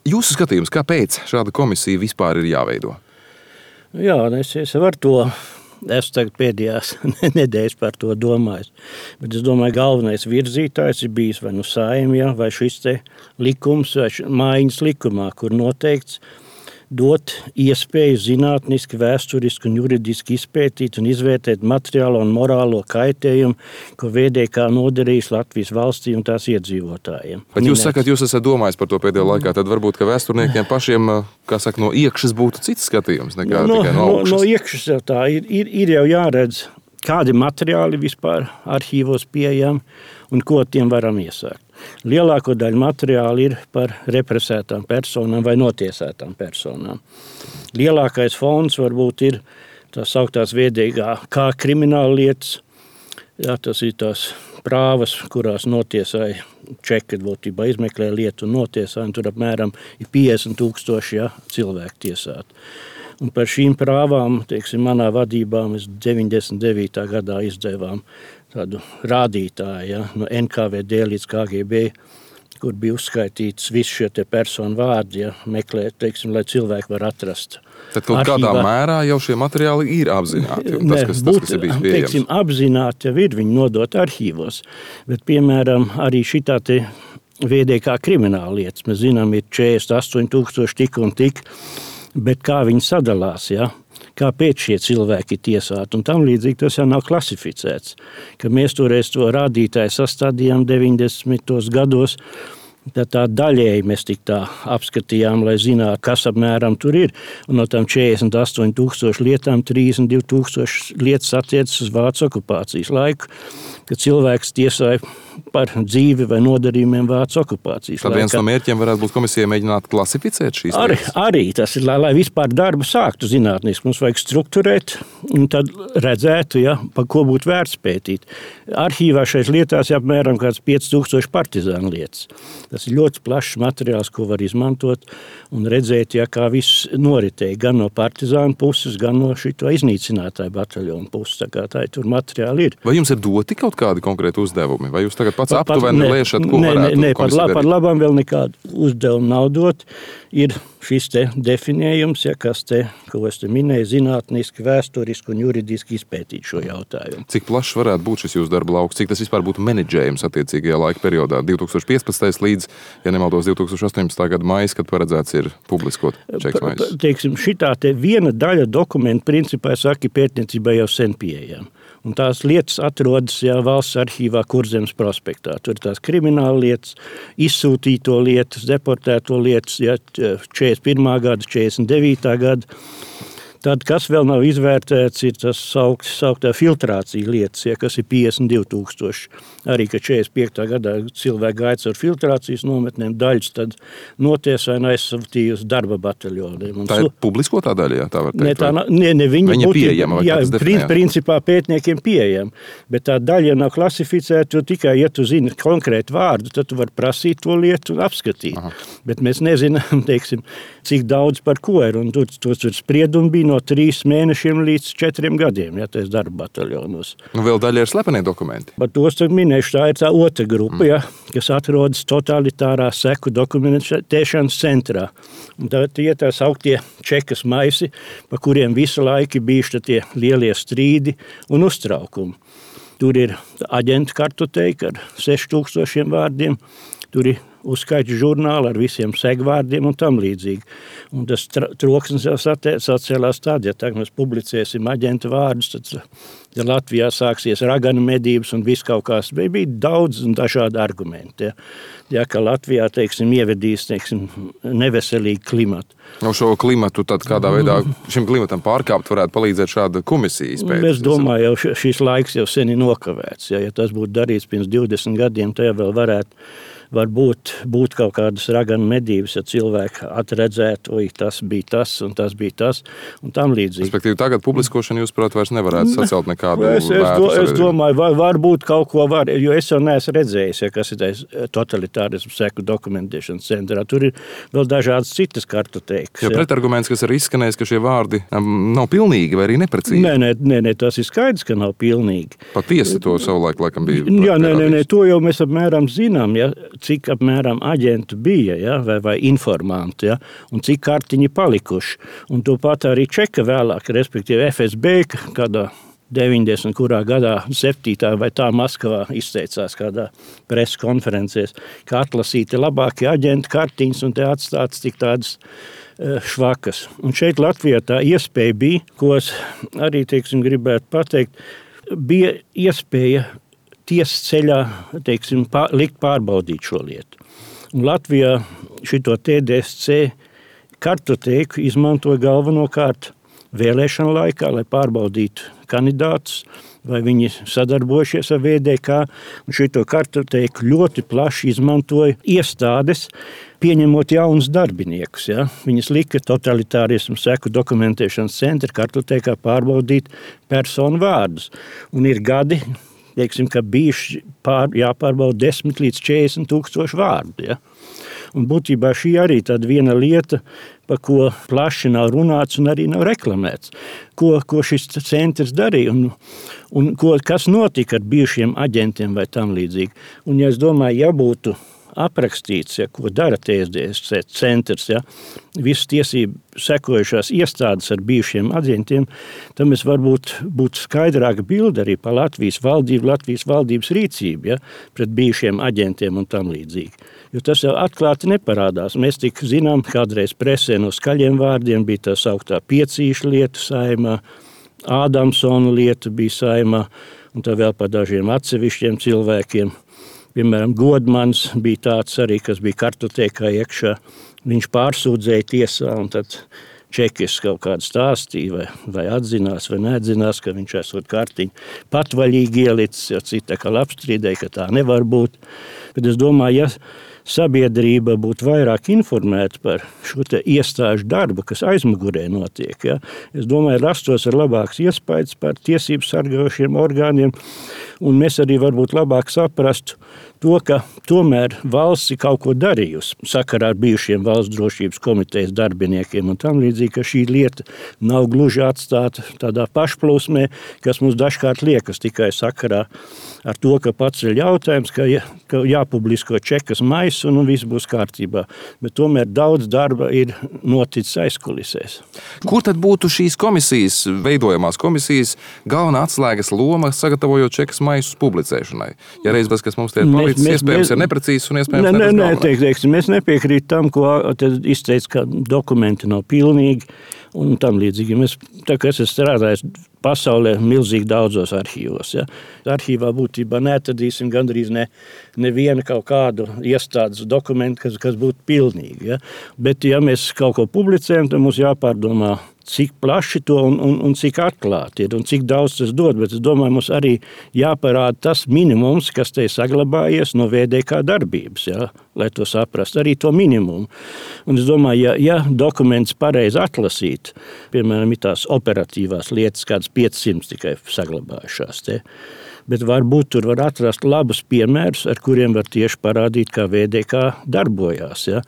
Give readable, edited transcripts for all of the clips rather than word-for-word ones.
Jūsu skatījums, kāpēc šāda komisija vispār ir jāveido? Jā, es varu to. Es tagad pēdējās nedēļas par to domāju. Bet es domāju, galvenais virzītājs ir bijis vai nu Saeimā, vai šis te likums, vai mājiņas likumā, kur noteikts dot iespēju zinātniski, vēsturiski un juridiski izpētīt un izvērtēt materiālo un morālo kaitējumu, ko VDK nodarījis Latvijas valstī un tās iedzīvotājiem. Bet jūs sakat, jūs esat domājis par to pēdējā laikā, tad varbūt, ka vēsturniekiem pašiem, kā saka, no iekšas būtu cits skatījums nekā tikai no augšas. No iekšas jau tā ir jau jāredz, kādi materiāli vispār arhīvos pieejami un ko tiem varam iesākt. Lielāko daļu materiāli ir par represētām personām vai notiesētām personām. Lielākais fonds varbūt ir tās sauktās viedīgā kā krimināla lietas. Jā, tas ir tās prāvas, kurās notiesāja čeki, būtībā izmeklē lietu un notiesāja, un tur apmēram ir 50,000 cilvēku tiesāti. Un par šīm prāvām, manā vadībā mēs 99. gadā izdevām tādu rādītāju, no NKVD līdz KGB, kur bija uzskaitīts visi šie personu vārdi, meklēt, lai cilvēki var atrast. Tad kaut kādā mērā jau šie materiāli ir apzināti. Tas, kas ir bijis pieejams. Apzināti jau ir, viņi nodot arhīvos. Bet, piemēram, arī šitā te VDK krimināla lietas. Mēs zinām, ir 48,000 tik un tik, bet kā viņi sadalās, ja? Kāpēc šie cilvēki ir tiesāti, un tam līdzīgi tas jau nav klasificēts. Ka mēs toreiz to rādītāju sastādījām 90. gados, tad tā daļēji mēs tik tā apskatījām, lai zinātu, kas apmēram tur ir. Un no tām 48,000 lietām 32,000 lietas attiecas uz Vācu okupācijas laiku, kad cilvēks tiesāja par dzīvi vai nodarījumiem Vācu okupācijas laikā. Tad viens no mērķiem varētu būt komisijai mēģināt klasificēt šīs lietas? Arī tas ir, lai vispār darbu sāktu zinātniski. Mums vajag strukturēt un tad redzētu, par ko būtu vērts pētīt. Arhīvā šeit lietās apmēram kāds 5,000 partizānu lietas. Tas ir ļoti plašs materiāls, ko var izmantot un redzēt, kā viss noritēja gan no partizānu puses, gan no šito iznīcinātāju bataljonu puses. Tā tur materiāli ir. Vai jums ir doti kaut kādi konkrēti uzdevumi? Vai jūs tagad pats aptuveni lēšat, ko varētu komisija darīt? Par labam vēl nekādu uzdevumu nav dot. Ir šis te definējums, kas te, ko es te minēju, zinātniski, vēsturiski un juridiski izpētīt šo jautājumu. Cik plašs varētu būt šis jūsu darba lauks? Cik tas vispār būtu menedžējums attiecīgajā laika periodā? 2015. līdz, ja nemaldos, 2018. gada maijs, kad paredzēts ir publiskot čeks maijs? Šitā te viena daļa dokumentu principā, saka, pētniecībai jau sen pieejama. Un tās lietas atrodas valsts arhīvā Kurzemes prospektā. Tur ir tās krimināla lietas, izsūtīto lietas, deportēto lietas, 41. gada, 49. gada. Tad, kas vēl nav izvērtēts, ir tas sauktā filtrācija lietas, kas ir 52,000. Arī, ka 45. gadā cilvēki gāja ar filtrācijas nometnēm daļas, tad notiesāja un aizsūtīja uz darba bataljoniem. Tā ir publiskotā daļa, tā var teikt? Viņa pieejama? Principā pētniekiem pieejama, bet tā daļa nav klasificēta, jo tikai, ja tu zini konkrētu vārdu, tad tu vari prasīt to lietu un apskatīt. Aha. Bet mēs nezinām, cik daudz par ko ir, un tur spriedumi bija no 3 mēnešiem līdz 4 gadiem, tas darba bataljonos. Vēl daļa ir slepenie dokumenti. Par tos minēšu, tā ir tā otra grupa, kas atrodas totalitārā seku dokumentēšanas centrā. Un tie tā sauktie čekas maisi, pa kuriem visu laiku bijuši tie lielie strīdi un uztraukumi. Tur ir aģentu kartoteika ar 6,000 vārdiem, tur ir uzskaits žurnāli ar visiem segvārdiem un tam līdzīgi. Un tas troksnis jau sacēlās tad, ja tagad mēs publicēsim aģentu vārdus, tad Latvijā sāksies raganu medības un viss kaut kas. Bija daudz un dažādi argumenti. Ka Latvijā, ievedīs, neveselīgu klimatu. Šo klimatu tad kādā veidā šim klimatam pārkāpt varētu palīdzēt šāda komisija izpētes? Es domāju, jau šis laiks jau sen ir nokavēts. Ja tas būtu darīts pirms 20 gadiem, tad vēl varbūt būt kaut kādas raganu medības, ja cilvēki atredzētu, tas bija tas un tas bija tas un tam līdzīgi. Respektīvi, tagad publiskošana, jūs, prāt, vairs nevarētu sacelt nekādu Es domāju, varbūt kaut ko var, jo es jau neesmu redzējis, kas ir totalitārismu seku dokumentēšanas centrā. Tur ir vēl dažādas citas kartoteikas. Jo pretarguments, kas ir izskanējis, ka šie vārdi nav pilnīgi vai arī neprecīzi. Nē, tas ir skaidrs, ka nav pilnīgi. Patiesi to savulaik laikam bija. Jā, to jau mēs apmēram zinām, cik apmēram aģentu bija, ja, vai informanti, ja, un cik kartiņi palikuši. Un to pat arī čeka vēlāk, respektīvi FSB, kādā 90. kurā gadā 7. vai tā Maskavā izteicās kādā preses konferencēs, ka atlasīti labākie aģenti kartiņas un te atstāts tik tādas švakas. Un šeit Latvijā tā iespēja bija, ko es arī, gribētu pateikt, bija iespēja tiesas ceļā, likt pārbaudīt šo lietu. Un Latvijā šito TDSC kartotēku izmantoja galvenokārt vēlēšanu laikā, lai pārbaudītu kandidātus, vai viņi sadarbojušies ar VDK. Un šito kartotēku ļoti plaši izmantoja iestādes, pieņemot jaunus darbiniekus. Ja? Viņas lika totalitārismu seku dokumentēšanas centra kartotēkā pārbaudīt personu vārdus. Un ir gadi, ka bijuši jāpārbauda 10 līdz 40 tūkstoši vārdu. Ja? Un būtībā šī arī tāda viena lieta, par ko plaši nav runāts un arī nav reklamēts. Ko šis centrs darīja un kas notika ar bijušiem aģentiem vai tam līdzīgi. Un ja es domāju, ja būtu aprakstīts, ja, ko dara TSDS centrs, ja, visas tiesību sekojušās iestādes ar bijušiem aģentiem, tad mēs varbūt būtu skaidrāka bilde arī par Latvijas valdību, Latvijas valdības rīcību, ja, pret bijušiem aģentiem un tam līdzīgi. Jo tas jau atklāti neparādās. Mēs tik zinām, kādreiz presē no skaļiem vārdiem bija tā sauktā Piecīša lieta Saeimā, Ādamsona lieta bija Saeimā, un tā vēl par dažiem atsevišķiem cilvēkiem. Piemēram, Godmans bija tāds arī, kas bija kartotēkā iekšā. Viņš pārsūdzēja tiesā, un tad čekis kaut kādu stāstīja, vai atzinās, vai neatzinās, ka viņš esot kartiņu patvaļīgi ielicis, jo cita kā apstrīdēja, ka tā nevar būt. Bet es domāju, ja sabiedrība būtu vairāk informēta par šo te iestāžu darbu, kas aizmugurē notiek, ja, es domāju, rastos ar labāks iespējas par tiesību sargājošiem orgāniem, un mēs arī varbūt labāk saprastu to, ka tomēr valsts ir kaut ko darījusi sakarā ar bijušiem valsts drošības komitejas darbiniekiem un tam līdzīgi, ka šī lieta nav gluži atstāta tādā pašplūsmē, kas mums dažkārt liekas tikai sakarā ar to, ka paceļ jautājums, ka jāpublisko čekas maisu un viss būs kārtībā. Bet tomēr daudz darba ir noticis aizkulisēs. Kur tad būtu šīs komisijas, veidojamās komisijas, galvenā atslēgas loma, sagatavojot čekas maisus publicēšanai? Ja reiz tas, kas mums te ir palicis, iespējams ir neprecīzs un iespējams nebūs mēs nepiekrīt tam, ko izteica, ka dokumenti nav pilnīgi un tam līdzīgi. Tā kā es strādāju pasaulē milzīgi daudzos arhīvos. Ja. Arhīvā būtībā neatradīsim gandrīz nevienu kaut kādu iestādes dokumentu, kas būtu pilnīgi. Ja. Bet ja mēs kaut ko publicējam, tad mums jāpārdomā, cik plaši to un cik atklāti ir un cik daudz tas dod. Bet es domāju, mums arī jāparāda tas minimums, kas te ir saglabājies no VDK darbības, ja, lai to saprast, arī to minimumu. Un es domāju, ja dokuments pareizi atlasīt, piemēram, ir tās operatīvās lietas, kādas 500 tikai saglabājušās te. Bet varbūt tur var atrast labus piemērus, ar kuriem var tieši parādīt, kā VDK darbojās, ja.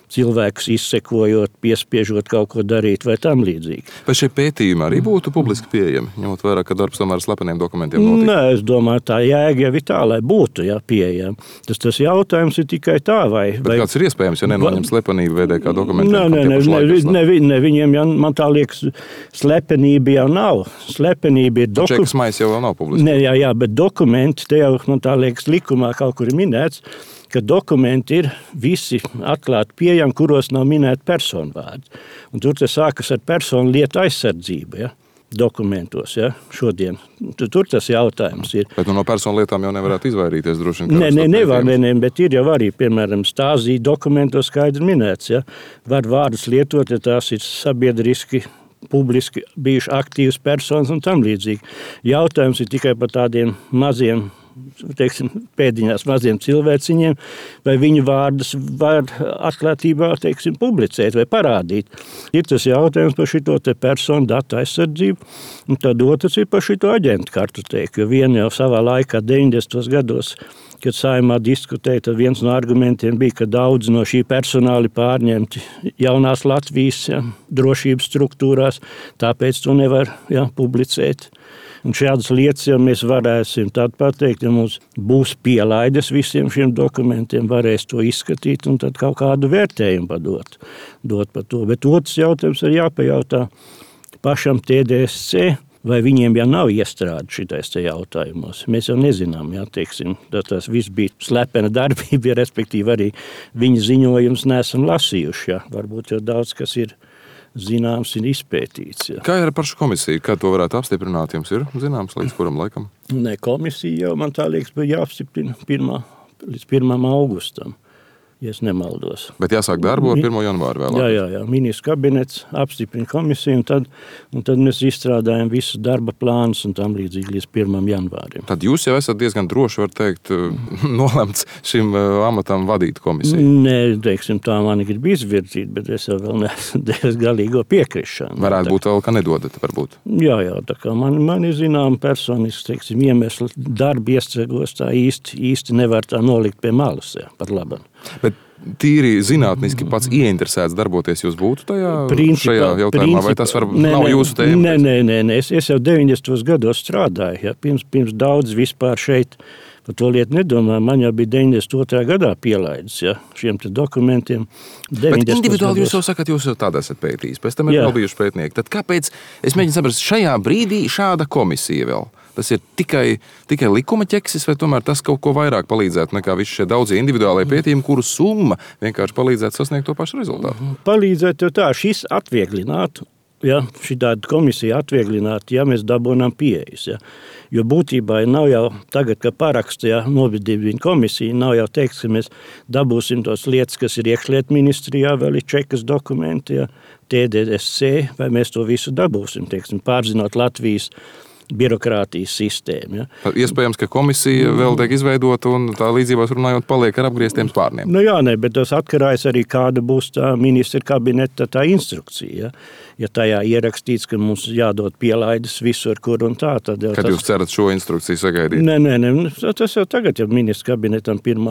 Cilvēkus izsekojot, piespiežot kaut ko darīt vai tam līdzīgi. Vai šie pētījumi arī būtu publiski pieejami, ņemot vērā, ka darbs tomēr ar slepeniem dokumentiem notiek? Nē, es domāju, tā jēga jau ir tā, lai būtu pieejami. Tas jautājums ir tikai tā, vai... Bet kāds ir iespējams, ja nenoņem slepenību VDK dokumentiem? Ne, viņiem jau, man tā liekas, slepenība jau nav. Slepenība ir dokumenti. Čekas mais jau nav publiski. Nē, jā, bet dokumenti, te jau, man tā liekas, likumā kaut kur ir minēts, ka dokumenti ir visi atklāti pieejami, kuros nav minēti personu vārdi. Un tur tas sākas ar personu lietu aizsardzību, ja, dokumentos, ja, šodien. Tur tas jautājums ir. Bet no personu lietām jau nevarētu izvairīties droši vien. Nevar, bet ir jau arī, piemēram, Stāzī dokumentos skaidri minēts, ja, var vārdus lietot, ja tās ir sabiedriski, publiski bijuši aktīvas personas un tam līdzīgi. Jautājums ir tikai par tādiem maziem, pēdiņās maziem cilvēciņiem, vai viņu vārdus var atklātībā, publicēt vai parādīt. Ir tas jautājums par šito te personu datu aizsardzību, un tad otrs ir par šito aģentu kartotēku, jo viena jau savā laikā 90. gados, kad Saeimā diskutēja, tad viens no argumentiem bija, ka daudz no šī personāli pārņemti jaunās Latvijas drošības struktūrās, tāpēc to nevar publicēt. Un šādas lietas jau mēs varēsim tad pateikt, ja mums būs pielaides visiem šiem dokumentiem, varēs to izskatīt un tad kaut kādu vērtējumu padot par to. Bet otrs jautājums ir jāpajautā pašam TDSC, vai viņiem jau nav iestrāde šitais te jautājumos. Mēs jau nezinām, tas viss bija slepena darbība, respektīvi arī viņa ziņojums neesam lasījuši. Jā. Varbūt jau daudz, kas ir zināms un izpētīts. Jā. Kā ir par šo komisiju? Kā to varētu apstiprināt? Jums ir zināms līdz kuram laikam? Ne, komisija jau, man tā liekas, bija jāapstiprina līdz 1. augustam. Ja es nemaldos. Bet jāsāk darbu ar 1. janvāru vēlāk. Jā. Ministrs kabinets apstiprina komisiju, un tad mēs izstrādājam visus darba plānus un tam līdzīgi līdz 1. janvārim. Tad jūs jau esat diezgan droši, var teikt, nolemts šim amatam vadīt komisiju. Nē, tā mani grib izvirzīt, bet es jau vēl neesmu devis galīgo piekrišanu. Varētu būt vēl, ka nedodat, varbūt. Jā, tā kā man ir zinām personiski, iemesli darba iestragos tā īsti nevar tā nolikt pie malas, jā, par labu. Bet tīri zinātniski pats ieinteresēts darboties jūs būtu šajā jautājumā, vai tas nav jūsu tēma? Nē. Es jau 90. gados strādāju, ja, pirms daudz vispār šeit par to lietu nedomāju. Man jau bija 92. gadā pielaidis, ja, šiem te dokumentiem. Bet individuāli jūs jau sakat, jūs jau tādā esat pētījis, pēc tam ir vēl bijuši pētnieki. Tad kāpēc, es mēģinu saprast, šajā brīdī šāda komisija vēl? Tas ir tikai likuma ķeksis, vai tomēr tas kaut ko vairāk palīdzētu nekā visi šie daudzie individuālie pētījumi, kuru summa vienkārši palīdzētu sasniegt to pašu rezultātu? Palīdzētu jau tā, šis atvieglinātu, ja, šī tāda komisija atvieglinātu, ja mēs dabūnām pieejas. Ja. Jo būtībā nav jau tagad, ka parakstījā nobidībviņa komisija, nav jau teiks, ka mēs dabūsim tos lietas, kas ir iekšlietu ministrijā, vēl ir čekas dokumenti, ja, TDSC, vai mēs to visu dabūsim, pārzinot Latvijas birokrātijas sistēmu. Ja. Iespējams, ka komisija vēl tiek izveidota un tā līdzībās runājot paliek ar apgrieztiem spārniem. Bet tas atkarājas arī, kāda būs tā ministra kabineta tā instrukcija. Ja tajā ierakstīts, ka mums jādod pielaides visur, kur un tā, tad jau Kad jūs cerat šo instrukciju sagaidīt? Nē, tas jau tagad, ja ministra kabinetam 1.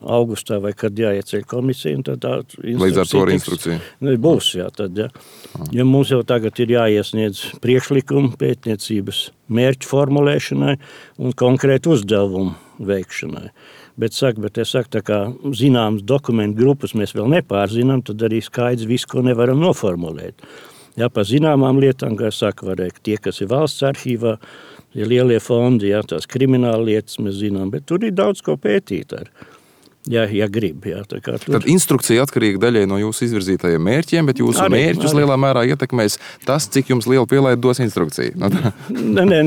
augustā vai kad jāieceļ komisija, un tad tā instrukcija līdz ar to instrukcija? Būs, jā, tad, ja. Ja mums jau tagad ir jāiesniedz priekšlikumu pētniecības mērķu formulēšanai un konkrētu uzdevumu veikšanai. Bet es saku, tā kā zināmas dokumentu grupas mēs vēl nepārzinām, tad arī skaidrs visu, ko nevaram noformulēt. Ja, par zināmām lietām, kā es saku, varēja tie, kas ir valsts arhīvā, ir lielie fondi, ja, tās krimināla lietas mēs zinām, bet tur ir daudz ko pētīt ar. Ja grib. Ja, Tad instrukcija atkarīga daļai no jūsu izvirzītajiem mērķiem, bet jūsu mērķus lielā mērā ietekmēs tas, cik jums liela pielaide dos instrukcija. Nē,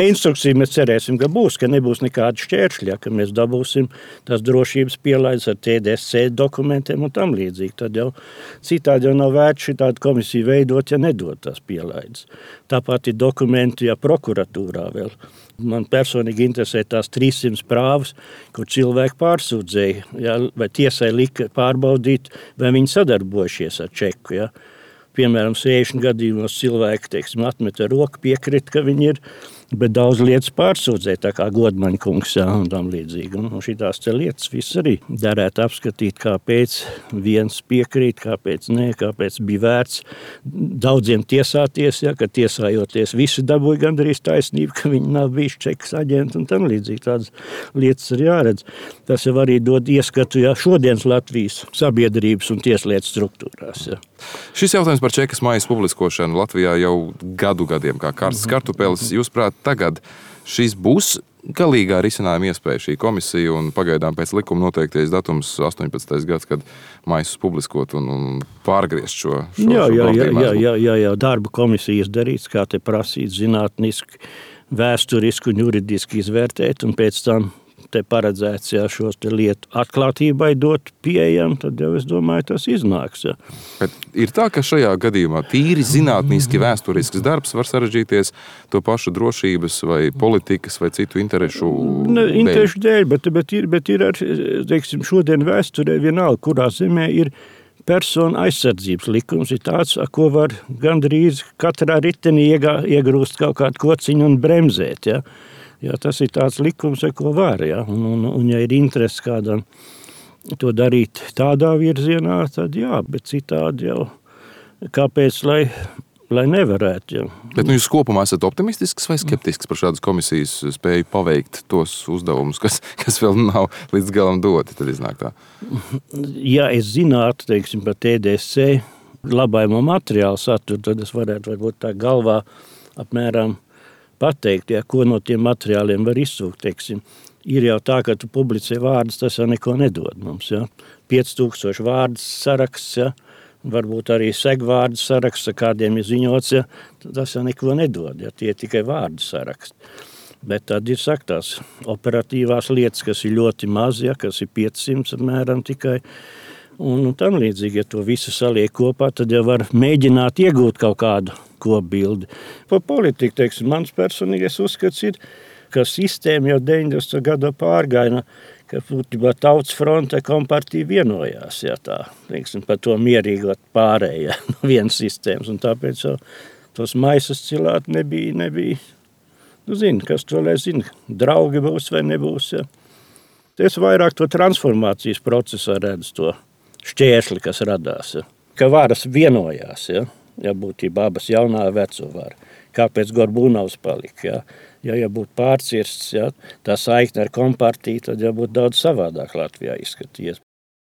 instrukcija mēs cerēsim, ka būs, ka nebūs nekāda šķēršļa, ka mēs dabūsim tās drošības pielaides ar TDSC dokumentiem un tam līdzīgi. Tad jau citādi jau nav vērts šitādu komisiju veidot, ja nedod tās pielaides. Tāpat ir dokumenti, ja prokuratūrā vēl. Man personīgi interesē tās 300 prāvas, kur cilvēki pārsūdzēja, ja, vai tiesai lika pārbaudīt, vai viņi sadarbojušies ar čeku. Ja. Piemēram, 60 gadījumos cilvēki, atmeta roku, piekrita, ka viņi ir, bet daudz lietas pārsūdzēja, tā kā Godmaņa kungs, ja, un tam līdzīgi. Un šitās te lietas viss arī derētu apskatīt, kāpēc viens piekrīt, kāpēc nē, kāpēc bija vērts daudziem tiesāties, ja, ka tiesājoties visi dabūja gandrīz taisnību, ka viņi nav bijuši čekas aģenti un tam līdzīgi. Tādas lietas ir jāredz. Tas jau arī dod ieskatu, ja, šodienas Latvijas sabiedrības un tieslietu struktūrās. Ja. Šis jautājums par čekas maijas publiskošanu Latvijā jau gadiem kā karstas kartupeles. Jūs prāt, tagad šis būs galīgā risinājuma iespēja šī komisija un pagaidām pēc likuma noteiktais datums 18. gads, kad maisus publiskot un pārgriezt šo Jā, darba komisijas darīts, kā te prasīt zinātniski, vēsturiski un juridiski izvērtēt un pēc tam te paredzēts, ja šos te lietu atklātībai dot pieejam, tad jau es domāju, tas iznāks. Ja. Bet ir tā, ka šajā gadījumā tīri zinātniski vēsturisks darbs var sarežģīties to pašu drošības vai politikas vai citu interešu dēļ? Interešu dēļ, bet ir ar, teiksim, šodien vēsturē vienalga, kurā zemē ir persona aizsardzības likums, ir tāds, ko var gandrīz katrā ritenī iegrūst kaut kādu kociņu un bremzēt, ja. Jā, tas ir tāds likums, ko var, ja? Un ja ir interesi kādam to darīt tādā virzienā, tad jā, bet citādi jau kāpēc, lai lai nevarētu. Ja. Bet jūs kopumā esat optimistisks vai skeptisks par šādas komisijas spēju paveikt tos uzdevumus, kas vēl nav līdz galam doti, tad iznāk tā? Ja es zinātu, teiksim, par TDSC labājumu materiālu saturu, tad es varētu varbūt tā galvā apmēram pateikt, ja, ko no tiem materiāliem var izsūkt, teiksim. Ir jau tā, ka tu publicē vārdus, tas jau neko nedod mums, ja. 5000 vārdus saraksts, ja. Varbūt arī segvārdu saraksts, kādiem ir ziņots, ja, tas jau neko nedod, ja, tie tikai vārdu saraksti. Bet tad ir tās operatīvās lietas, kas ir ļoti maz, ja, kas ir 500 apmēram tikai, un tam līdzīgi, ja to visu saliek kopā, tad jau var mēģināt iegūt kaut kādu kopbildi. Par politiku, teiksim, mans personīgais uzskats ir, ka sistēma jau 90. gadu pārgaina, ka būtībā Tautas fronte kompartija vienojās, ja tā, teiksim, par to mierīgot pārējā no vienas sistēmas, un tāpēc jau tos maisas cilāt nebija, nu zini, kas to lai zina, draugi būs vai nebūs, ja. Es vairāk to transformācijas procesā redzu to šķēršli, kas radās, ja. Ka varas vienojās, ja būtībā abas jaunā veco vara. Kāpēc Gorbūnovs palika, ja būtu pārcirsts, ja, tā saikne ar kompartiju, tad jau būtu daudz savādāk Latvijā izskatījies.